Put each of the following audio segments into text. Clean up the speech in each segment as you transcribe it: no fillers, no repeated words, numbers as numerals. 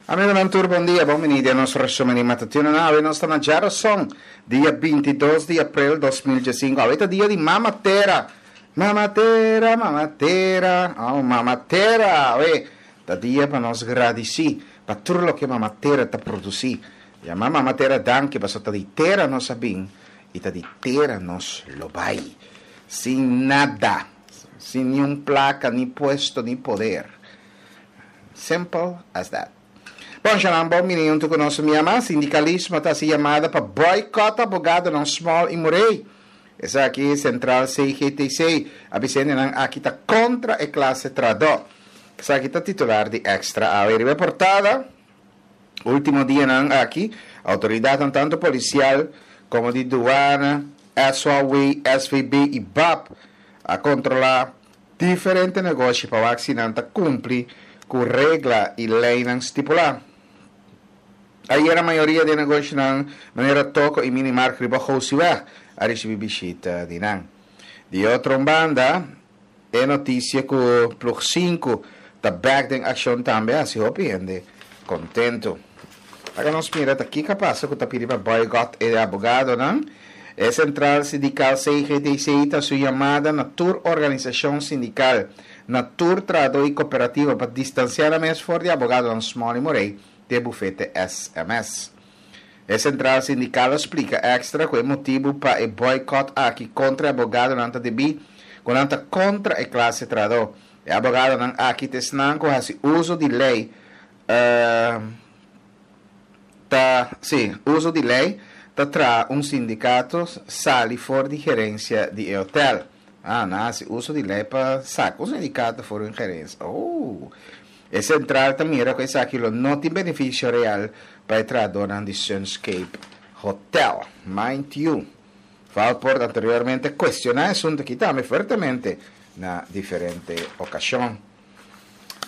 Amigonan tur bon dia, bon bini den nos resumen di matutino. Awe nos ta na djaroson, dia 22 di april 2015. Awe ta dia di Mama Tera. Mama Tera, Mama Tera, oh Mama Tera. Awe ta dia pa nos gradisí pa tur loke Mama Tera ta produsí. Yama Mama Tera danki pasobra ta di tera nos a bin i ta di tera nos lo bai. Sin nada, sin niun plaka, ni puesto, ni poder. Simple as that. Bon, Shanan, bon bini huntu ku nos. Mi yama sindikalismo ta hasi yamada pa boycott abogadonan Small i Murray. Esaki sentral CGTC a bisa hendenan aki ta kontra e klase trahadó. Esaki ta titular di Extra awe. Riba e portada, ultimo dianan aki, outoridatnan tantu polisial komo di duana, SOAW, SVB i bap a kontrolá Diferente negoshi pa wak si nan ta kumpli ku regla i leinan stipulá. Ayera mayoria di e negoshinan manera toko i minimarkt riba Gosiweg a risibí bishita di nan. Di otro un banda, e notisia ku Ploeg sinku ta bèk den akshon tambe a hasi hopi hende kontentu. Laga nos mira ta kiko a pasa ku ta pidi pa boycott e abogadonan. E sentral sindikal CGTC ta su yamada na tur organisashon sindikal, na tur trahadó i kooperativa pa distansiá nan mes for di abogadonan Small i Morey di e bufete SMS. E sentral sindikal a splika Extra ku e motibu pa e boycott aki kontra e abogadonan ta debí ku nan ta kontra e klase trahadó. E abogadonan aki ta esnan ku hasi uso di lei Ta, sí, uso di ley ta traha un sindicato sali for di gerencia di e hotel. Ah, nan haci uso di ley pa saca un sindicato for di un gerencia. Oh! E central ta mira cu esaki lo no tin beneficio real pa e trahadornan di Sunscape Hotel. Mind you, Valpoort anteriormente a cuestiona e asunto aki tambe fuertemente na diferente ocasion.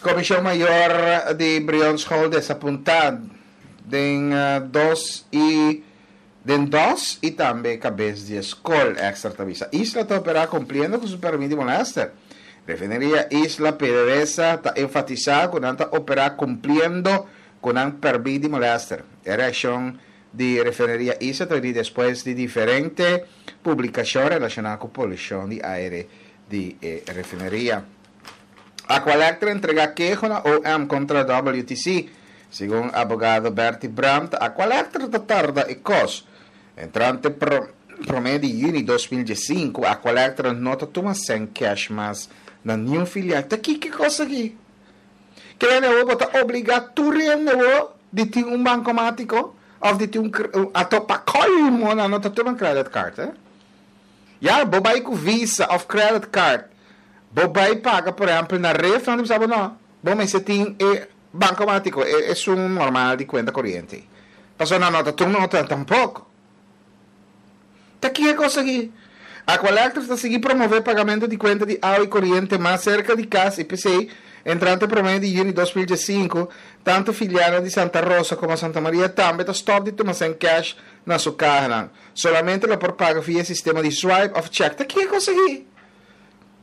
Komishon Mayor di Brionschool desapuntá den dos i den dos i tambe kabes di e skol, Extra ta bisa. Isla ta operá kumpliendo ku su pèrmit di molèster. Refineria Isla PDVSA ta enfatisá ku nan ta operá kumpliendo ku nan pèrmit di molèster. E reakshon di Refineria Isla ta bini despues di diferente publikashon relashoná ku polushon di aire di e refineria. Aqualectra entrega keho na OM kontra WTC. Segun abogado Bertie Brandt, Aqualectra ta tarda e kos. Entrante promé di yüni 2015, Aqualectra no ta tuma sèn kèsh mas na niun filial. Ta kiko e kos aki? Kende awor bo ta obligá tur hende awor di tin un bankomátiko òf di tin un ato pa kolmo nan no ta tuma credit card, eh? Ya, bo bai ku Visa òf credit card, bo bai paga por ehèmpel na Rif, nan ta bisa bo no, bo mester tin e bankomátiko, e esun normal di kuenta koriente. Pasobra nan no ta tuma nota tampoko. Ta ki e kos aki? Aqualectra ta sigui promové pagamentu di kuenta di awa i koriente mas serka di kas i p'esei, entrante promé di yüni 2015, tantu filialnan di Santa Rosa komo Santa Maria tambe ta stòp di tuma sèn kèsh na su kahanan. Solamente lo por paga via e sistema di swipe of check. Ta kiko konsegui?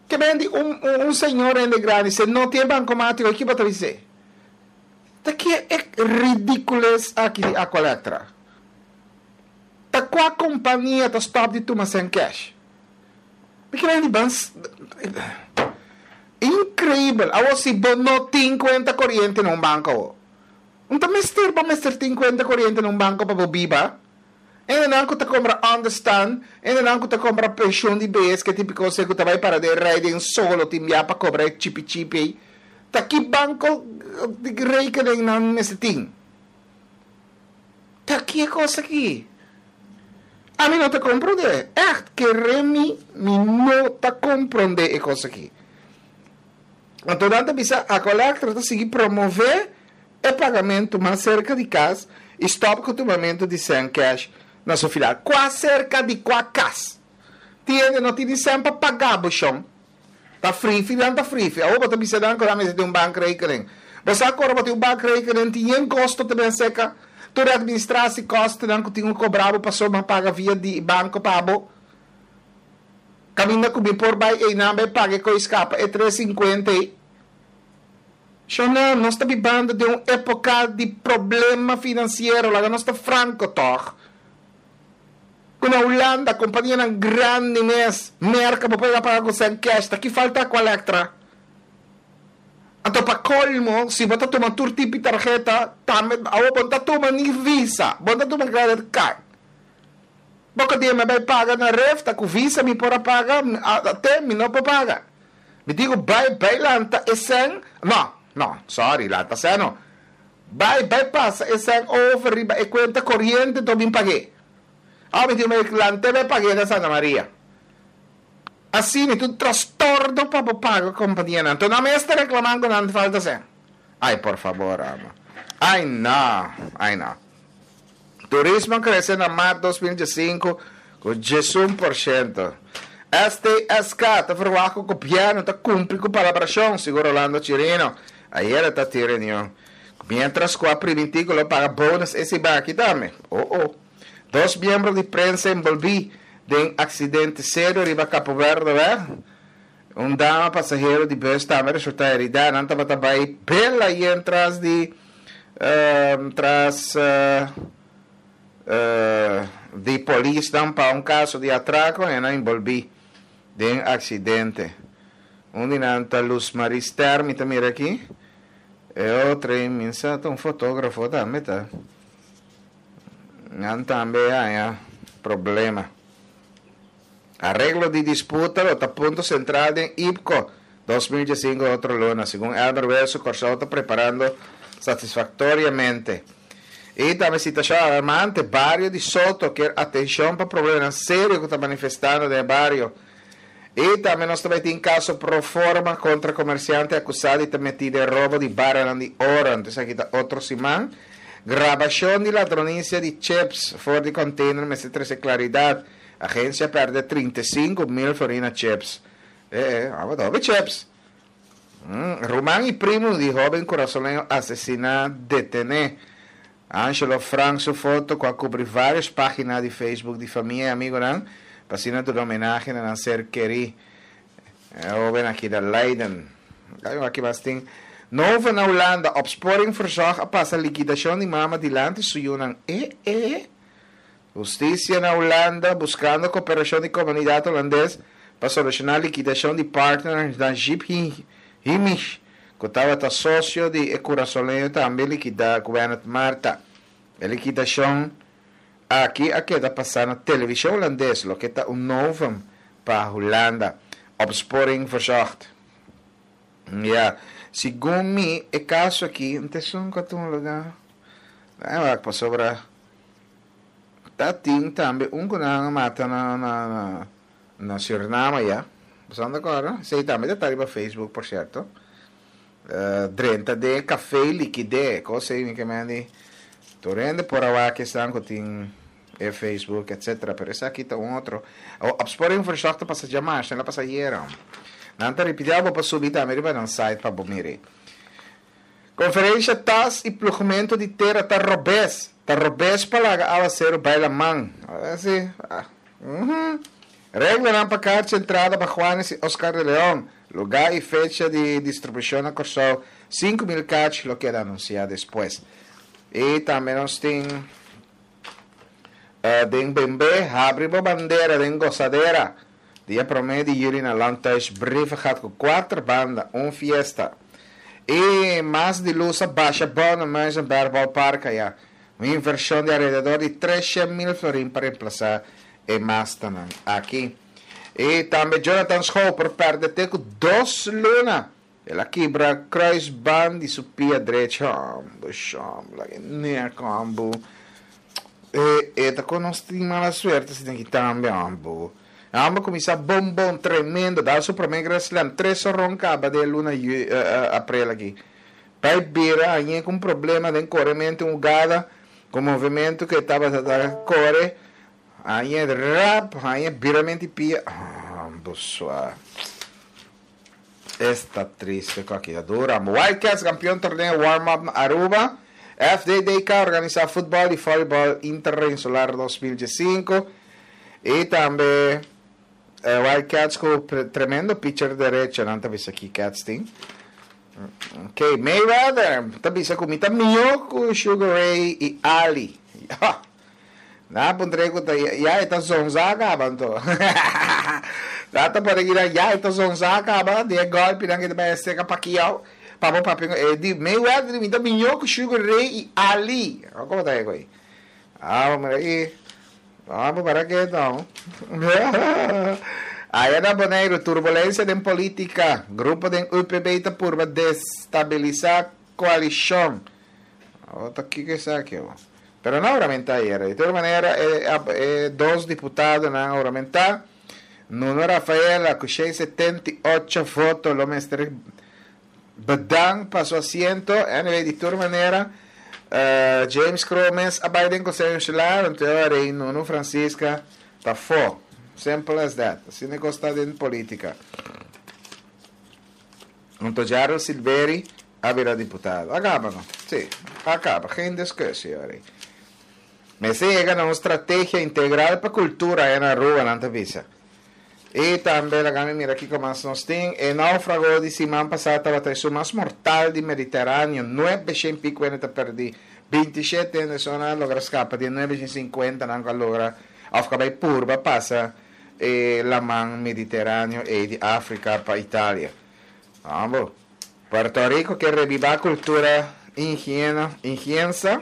Ke ben di un un señor hende grandi se no tin e bancomático ki bo ta bis'é? Ta ke e ridicules aki di Aqualectra? Ta kua compania ta stop di tuma sèn cash? Mi ke ben di ban Increibel! Awor si bo no tin cuenta coriente na un banco awor, un ta mester bo mester tin cuenta coriente na un banco pa bo biba? Hendenan ku ta kompra understand, hendenan ku ta kompra penshun di bes, ke tipiko se ku ta bai para den rei den solo tin bia pa kobra e chipi chipi ei. Ta ki banko di rekening nan mester tin? Ta ki e kos aki? Ami no ta komprondé. Ègt, kere mi, mi no ta komprondé e kos aki. Anto nan ta bisa Aqualectra ta sigui promové e pagamentu mas serka di kas i stòp ku tumamentu di sèn kèsh na su filial. Kua serka di kua kas? Tin hende no tin di sèn pa paga bo shon. Ta frifi nan ta frifi. Awor bo ta bisa nan ku nan mester tin un bankrekening. Bo sa ku ora bo tin un bankrekening tin yen kosto ta bin seka. Tur e administrasi kostonan ku tin ku kobra bo pasobra bo paga via di banko pa bo. Kaminda ku mi por bai einan bai paga e koi skapa e 3.50 ei. Shonel, nos ta bibando den un époka di problema finansiero, laga nos ta franko tòg. Ku na Hulanda kompanianan grandi mes, Merka bo por yega paga ku sèn kèsh, ta ki falta ku Electra? Anto pa kolmo, si bo ta tuma tur tipo di tarheta, tambe awor bo no ta tuma ni Visa, bo no ta tuma credit card. Boko dia mi a bai paga na ref, ta ku Visa mi por a paga, te mi no por paga. Mi tin ku bai bai lanta e sèn, no, no, sorry, lanta sèn no. Bai bai pasa e sèn over riba e kuenta koriente anto bin pag'é. Awor mi tin ku bai lant'é bai pag'é na Santa Maria. Asina ta un trastorno pa bo paga kompanianan. Anto nan mes ta reklaman ku nan falta sèn. Ai por fabor amo. Ai no, ai no. Turismo a krese na mart 2015 ku 11%. STSK ta ferwagt ku gobièrnu ta kumpli ku palabrashon, segun Rolando Chirino. Ayera ta tin reunion. Miéntras ku a primintí ku lo paga bonus e siman aki tambe. Oh oh. Dos miembro di prensa enbolbí den aksidente serio riba Capo Verdeweg. Un dama pasahero di bus tambe resultá heridá. Nan tabata bai bela yen tras di tras di polisnan pa un kaso di atrako i nan enbolbí den aksidente. Un di nan ta Luz Marie Ster, mi ta mira aki. E otro ei mi sa ta un fotógrafo tambe ta. Nan tambe haña problema. Areglo di disputa lo ta punto sentral den IPCO 2015 otro luna. Segun Elmer Wilson, Kòrsou ta preparando satisfaktoriamente. I tambe situashon alarmante, bario di Soto kier atenshon pa problemanan serio ku ta manifestando den e bario. I tambe nos ta bai tin kaso pro forma kontra komersiante akusá di ta metí den robo di baranan di oro. Anto esaki ta otro siman. Grabashon di ladronisia di chips for di container mester trese klaridat. Agensia pèrdè 35.000 florin na chips. E e, abo ta hopi chips. Ruman i primu di hóben kurasoleño asesiná detené. Angelo Frank su foto ku a kubri vários página di Facebook di famia i amigunan pa asina duna homenahe na nan ser kerí. E hóben aki na Leiden. Aki mas tin Nova na Hulanda, Opsporing Verzocht a pasa likidashon di mama dilanti su yunan. E e. Hustisia na Hulanda buskando koperashon di komunidat hulandes pa solushoná likidashon di partner Najib Himich ku tabata sosio di e kurasoleño tambe likidá Gweneth Martha. E likidashon aki a keda pasá na televishon hulandes loke ta un novum pa Hulanda. Opsporing Verzocht. Ya, segun mi e kaso aki n'ta esun ku a tuma lugá. Pasobra. Ta tin tambe un ku nan a mata na na na Suriname ya. Boso anda kòrda? Esei tambe ta ta riba Facebook por sierto. Drenta den e kafé likid'é. Kos ei mi ke men di tur hende por a wak esnan ku tin e Facebook etcetera. Pero esaki ta un otro. Opsporing Verzocht ta pasa djamas, nan a pasa ayera. Nan ta ripitiá bo pa subi tambe riba nan site pa bo mira. Konferensha tas i plugmentu di tera ta robes. Ta robes pa laga awaseru bai laman. Si. Reglanan pa karchi entrada pa Juanes i Oscar de Leon. Lugá i fecha di distribushon na Kòrsou. 5000 karchi lo keda anunsiá despues. I tambe nos tin den Bembe, habri bo bandera den Gosadera. Dia promé di yüli na Landhuis Brievengat ku kuater banda, un fiesta. I mas di lus a basha bou na Muizenberg Ballpark aya. Un invershon di alrededor di 300.000 florin pa remplasá e mastanan aki. I tambe Jonathan Schouw por pèrdè te ku dos luna. El a kibra kruisband di su pia drechi. Hombo, shombo, laga e nek, hombo. E, e ta kon nos tin mala suerte asina aki tambe, hombo. E homber kuminsá bon bon, tremendo, dal su promé Grand Slam, tres horon kaba den e luna yu, aprel aki. Bai bira hañ'é ku un problema den korementu, un hugada ku movementu ku e tabata ta kore, hañ'é rap, hañ'é biramenti pia, hombo sua. Esta triste cu aki ta dura. Wildcats campeon torneo warm up na Aruba. FDDK organisa futbol y volleyball interinsular 2015. Y tambe eh, Wildcats cu tremendo pitcher derecho nan ta bisa ki Cats tin. Ok, Mayweather ta bisa ku mi ta mihó ku Sugar Ray i Ali. Nan a puntr'é ku ta ya e ta zonzá kaba anto. Nan ta pone kina ya e ta zonzá kaba di e gòlpinan ku e ta bai a seka Pacquiao pa bo papia ku e di Mayweather di mi ta mihó ku Sugar Ray i Ali. Komo ta e ku ei? Abo mira aki. Abo para ke no. Aya na Boneiru turbulensia den polítika. Grupo den UPB ta purba destabilisá koalishon. Abo ta kiko esaki abo? Pero no a huramentá ayera. Di tur manera e e dos diputadonan a huramentá. Nuno Rafaela ku 678 voto lo mester bedank pa su asiento. Anyway, di tur manera James Cromes a bai den Konseho Insular, anto e ora ei Nuno Francisca ta fo. Simple as that. Asina e kos ta den politica. Anto Gerald Silveri a bira diputado. A kaba no? Sí, a kaba. Geen discussie ora ei. Mester yega na un strategia integral pa cultura aya na Aruba, nan ta bisa. Y tambe laga mi mira kico mas nos tin. E naufrago di siman pasa tabata esun mas mortal di Mediteraneo. Nuebe shen pico hende ta perdi. Bintishete hende so nan a logra scapa di e nuebe shen sinkuenta nan cu a logra of cu a bay purba pasa e laman Mediteraneo ey di Africa pa Italia. Abo. Puerto Rico ke rebiba cultura inhiena, inhiensa.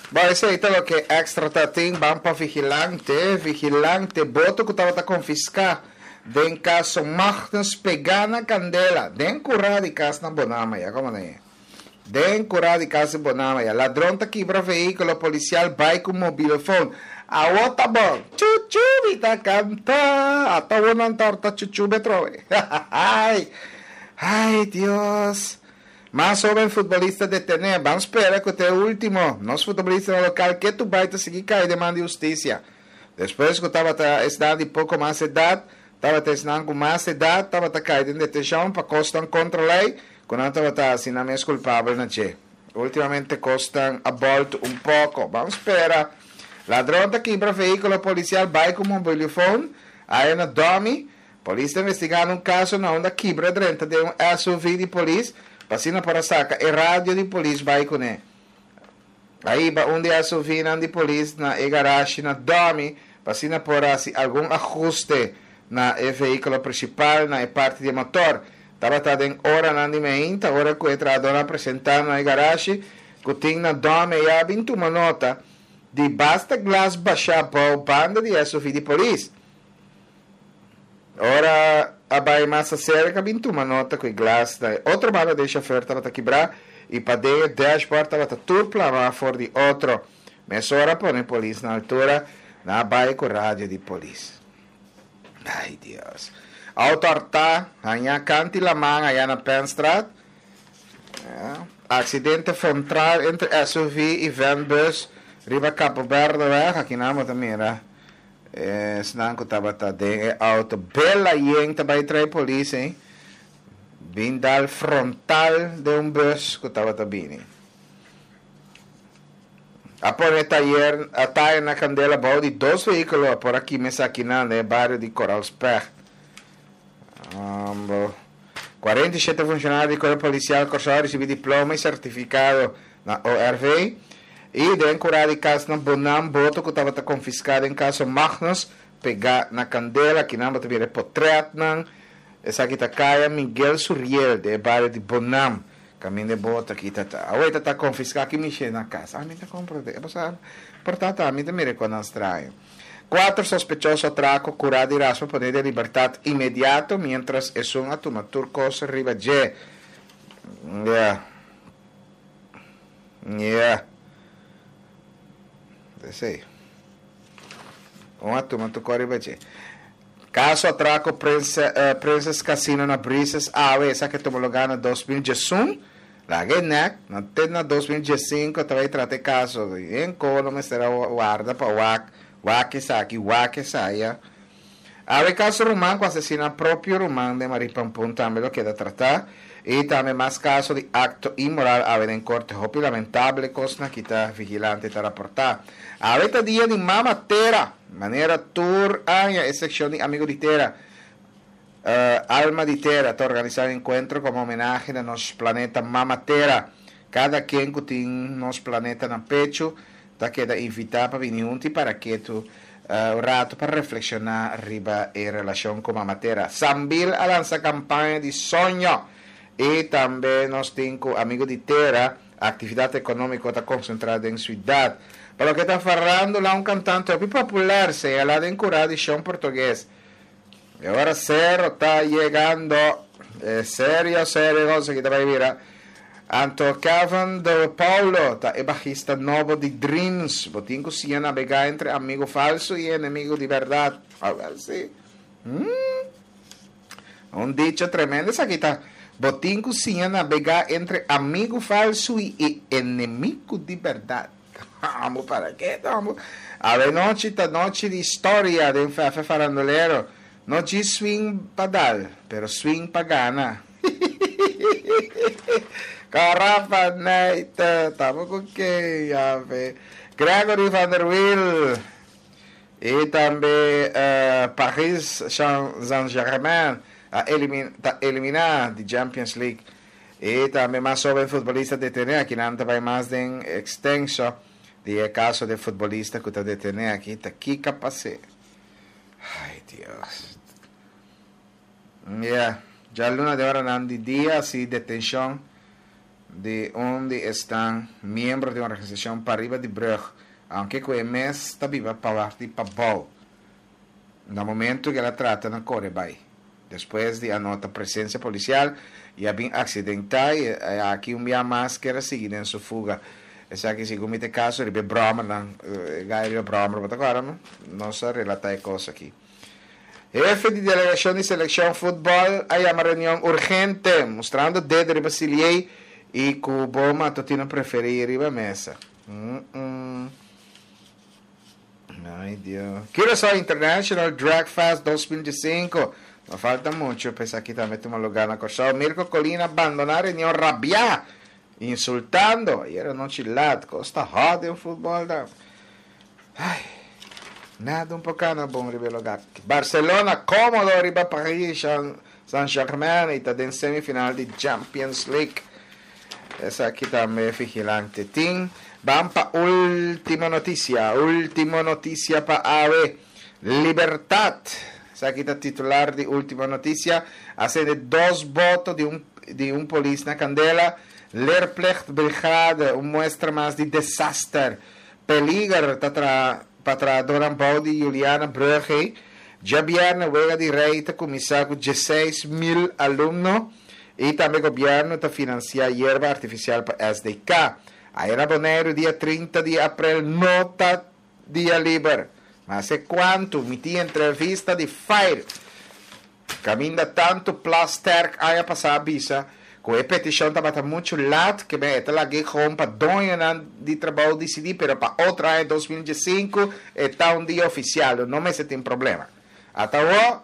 Bo, esey ta loke Extra ta tin. Ban pa Vigilante. Vigilante, boto cu tabata confisca den caso Magnus pega na candela den cura di cas na Bonama. Ya como na e. Den cura di cas di Bonama. Ya ladron ta kibra vehiculo policial bay cu mobilofon. Awo ta bon. Chuchu mi ta canta. Ata awo nan ta horta chuchu be trobe. Ay. Ay Dios. Mas hoben futbolista detené. Ban spera cu ta e ultimo. Nos futbolistanan local ketu bay ta sigui cay den man di husticia. Despues cu tabata esnan di poco mas edad, tabata esnan cu mas edad tabata cay den detencion pa cosnan contra ley cu nan tabata haci nan mes culpabel na dje. Ultimamente cosnan a bolto un poco. Ban spera. Ladron ta kibra vehiculo policial bay cu mobilifon aya na Domi. Polis ta investigando un kaso na unda kibra drenta den un SUV di polis pa asina por a saka e radio di polis bai kuné. A hiba un di e SUVnan di polis na e garashi na Domi pa asina por a hasi algun ahuste na e vehíkulo prinsipal na e parti di e motor. Tabata den oranan di meinta ora ku e trahadónan a presentá na e garashi ku tin na Domi i a bin tuma nota di basta glas bashá bou banda di e SUV di polis. Ora a bai mas aserka bin tuma nota ku e glas na e otro banda den shofer tabata kibrá i paden e dashboard tabata tur plamá for di otro. Mesora a pone polis na altura, nan a bai ku radio di polis. Ai Dios. Auto hartá, hañá kanti laman ayá na Penstraat. Aksidente frontral entre SUV i vanbus riba Capo Berdeweg. Aki nan bo ta mira. Esnan ku tabata den e auto bela yen ta bai trae polis ei. Bin dal frontal den un bus ku tabata bini. A pone tayer a tayer na kandela bou di dos vehíkulo a por a kima esakinan den e bario di Koral Specht. Ambo. 47 funshonario di Kuerpo Polisial Kòrsou a risibí diploma i sertifikado na ORV i den kurá di kas na Bonam boto ku tabata konfiská den kaso Magnus pegá na kandela. Kinan bo ta mira e potrètnan. Esaki ta Kaya Miguel Suriel den e bario di Bonam. Kaminda e boto aki ta ta. Awor e ta ta konfiská ki mishe na kas. Ami ta komprondé. Pasobra por ta ta ami ta mira e konan straño. Kuater sospechoso atrako kurá di raspa poné den libertat inmediato miéntras esun a tuma tur kos riba dje. Ya. Ya. Esei. Un a tuma tur kos riba dje. Kaso atrako Prince, Princess Casino na Brises awe esaki a tuma lugá na 2011. Laga e nek, na te na 2015 ta bai trata e kaso. Yen kono mester a warda pa wak, wak esaki, wak esaya. Awe kaso ruman ku asesina propio ruman den Marie Pampun tambe lo keda tratá. I tambe mas kaso di akto inmoral awe den korte. Hopi lamentable kosnan ki ta Vigilante ta raportá. Awe ta dia di Mama Tera. Manera tur aña e sekshon di Amigo di Tera. Alma di Tera ta organisá un enkuentro komo homenahe na nos planeta Mama Tera. Kada ken ku tin nos planeta na pechu ta keda invitá pa bini huntu i para ketu un ratu pa reflekshoná riba e relashon ku Mama Tera. Sambil a lansa kampaña di soño i tambe nos tin ku Amigo di Tera, aktividat ekonómiko ta konsentrá den siudat. Pa loke ta farándula un kantante hopi popular señalá den kurá di shon portugues. E ora Cerro ta yegando. E serio, serio cosa ki ta bai bira. Anto Kevin de Paulo ta e bajista nobo di Dreams. Bo tin ku siña nabegá entre amigo falso i enemigo di bèrdat. Awèl si. Hmm. Un dicho tremendo esaki ta. Bo tin ku siña nabegá entre amigo falso i enemigo di bèrdat. Amo para ke amo. Awe nochi ta nochi di historia den Fefe Farandulero. No djis swing pa dal, pero swing pa gana. Karafa Neite, tamo ku ken yape. Gregory van der Wiel i tambe Paris Saint-Germain a ta eliminá di Champions League. I tambe mas hoben futbolista detené aki nan ta bai mas den ekstenso di e kaso di e futbolista ku ta detené aki ta kika pas'é. Ai Dios. Ya, djaluna den oranan di dia si detenshon di un di esnan miembro di un organisashon pariba di brug, aunke ku e mes ta biba parti pabou. Na momento ku el a trata na kore bai. Despues di a nota presencia policial y a bin accidenta y aki un bia mas kier a sigui den su fuga. Esaki segun mi ta e caso riba e brommernan, e guy riba e brommer, bo ta acorda no? Nos a relata e cos aki. Hefe di delegacion di seleccion futbol a yama reunion urgente, mustrando dedo riba Siliey y cu bo matutino preferi riba mesa. Ay Dios. Curaçao International Drag Fest 2015. No falta mucho pa esaki tambe tuma lugar na Kòrsou. Mirko Colina bandoná reunion rabiá, insultando. Ayer anochi lat, kos ta hot den futbòl ta. Ay, nada un por kana bon riba e lugá. Barcelona kómodo riba Paris Saint-Germain i ta den semifinal di Champions League. Esaki tambe Vigilante tin. Ban pa ultimo noticia, ultimo noticia pa awe. Libertad, esaki ta titular di ultimo noticia, a sende dos boto di un di un polis na candela. Leerplichtbrigade, un muestra mas di desaster. Peliger ta traha pa trahadornan bou di Juliana Brugge. Djabierne wega di Rey ta cuminsa cu 16,000 alumno. I tambe gobièrnu ta finansiá yerba artifisial pa SDK. Aya na Boneiru dia 30 di aprel no ta dia liber. Mas e kuantu mi tin entrevista di Fire. Kaminda tantu Plasterk aña pasá a bisa ku e petishon tabata muchu lat ke men e ta lag'é gewoon pa doñonan di trabou disidí pero pa otro aña 2015 e ta un dia ofisial no mester tin problema. Ata awor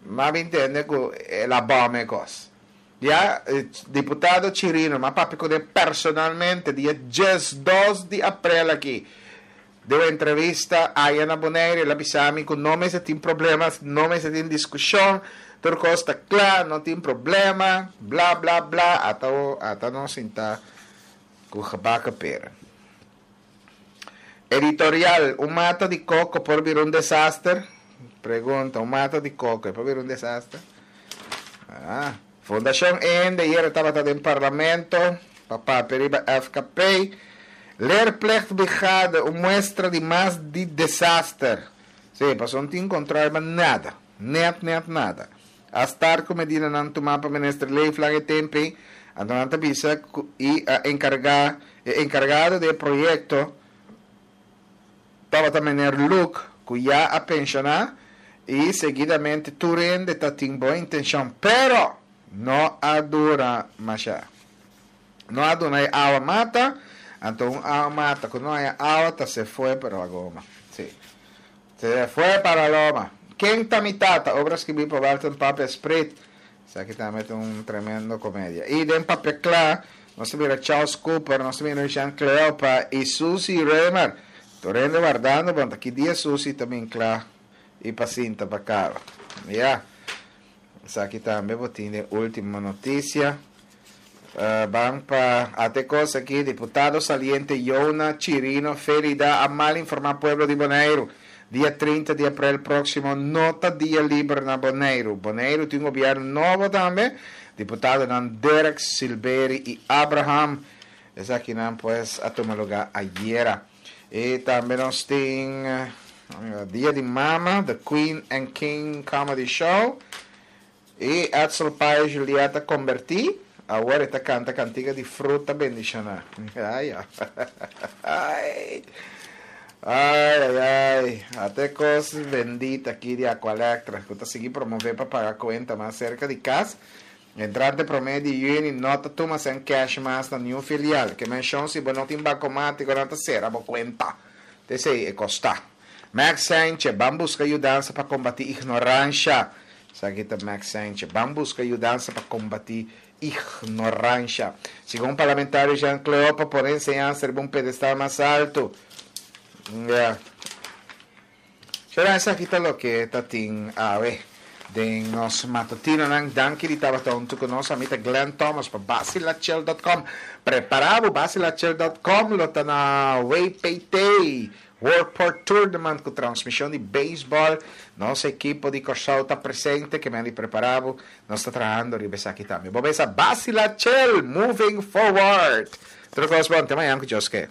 M'a bin tende ku el a bòm e kos. Ya, diputado Chirino, m'a papia kuné personalmente dia 12 di aprel aki. Den un entrevista aya na Bonaire el a bisa mi ku no mester tin problema, no mester tin diskushon, tur kos ta kla, no tin problema, bla bla bla, ata ata nos sinta ku gebakken pera. Editorial, Un mata di koko por bira un desaster? Pregunta, Un mata di koko e por bira un desaster? Ah, Fundashon Eende yera tabata den parlamento pa papia riba FKP. Leerplichtbrigade, un muestra di mas di desaster. Sí, pasobra no tin control riba nada. Net, net nada. A start ku medidanan tumá pa Minister Leeflang e tempu ei, anto nan ta bisa ku i a enkargá e enkargado di e proyekto tabata Meneer Luke ku ya a penshoná i seguidamente tur hende ta tin bon intenshon pero no a dura mashá. No a duna e awa mata, anto un awa mata ku no haña awa ta se fue pero a goma. Sí. Se fue para loma. Ken ta mi tata? Obra skibí pa Welton Papia Sprit. Esaki tambe ta un tremendo komedia. I den Papia Kla nos ta mira Charles Cooper, nos ta mira Jean Cleopa i Susie Römer. Tur hende wardando bon ta ki dia Susie ta bin kla i pa sinta pa kaba. Ya. Esaki tambe bo tin den Ultimo Noticia. Ban pa ate kos aki, diputado saliente Yona Chirino Felida a mal informa pueblo di Boneiru. Dia 30 di aprel proximo no ta dia liber na Boneiru. Boneiru tin un gobierno nobo tambe. Diputadonan Derek Silberi y Abraham. Esakinan pues a tuma lugar ayera. Y tambe nos tin Dia di Mama, The Queen and King Comedy Show. Y Edsel Paes Juliet a converti, awor e ta canta cantica di fruta bendiciona. Ay, ay. Ay, ay, ay. Ate cos bendita aki di Aqualectra, cu ta sigui promove pa paga cuenta mas cerca di cas. Entrante prome di juni no ta tuma cen cash mas na niun filial. Ke mencion si bo no tin bancomatico nan ta cera bo cuenta. T'esey e costa. Max Sanchez, ban busca yudansa pa combati ignorancia. Esaki ta Max Sanchez, ban busca yudansa pa combati ignorancia. Segun parlamentario Jean Cleopa, pone enseñansa riba un pedestal mas alto. Ya. Shera, esaki ta loke ta tin awe den nos matutinonan. Danki di tabata huntu ku nos. Ami ta Glenn Thomas pa Basilachel dot com. Prepara bo, Basilachel dot com lo ta na WPT, World Port Tournament ku transmishon di beisbòl. Nos ekipo di Kòrsou ta presente, ke men di prepara bo. Nos ta trahando riba esaki tambe. Bo mesa Basilachel, moving forward! Tur kos bon, te mañan ku Dios ke.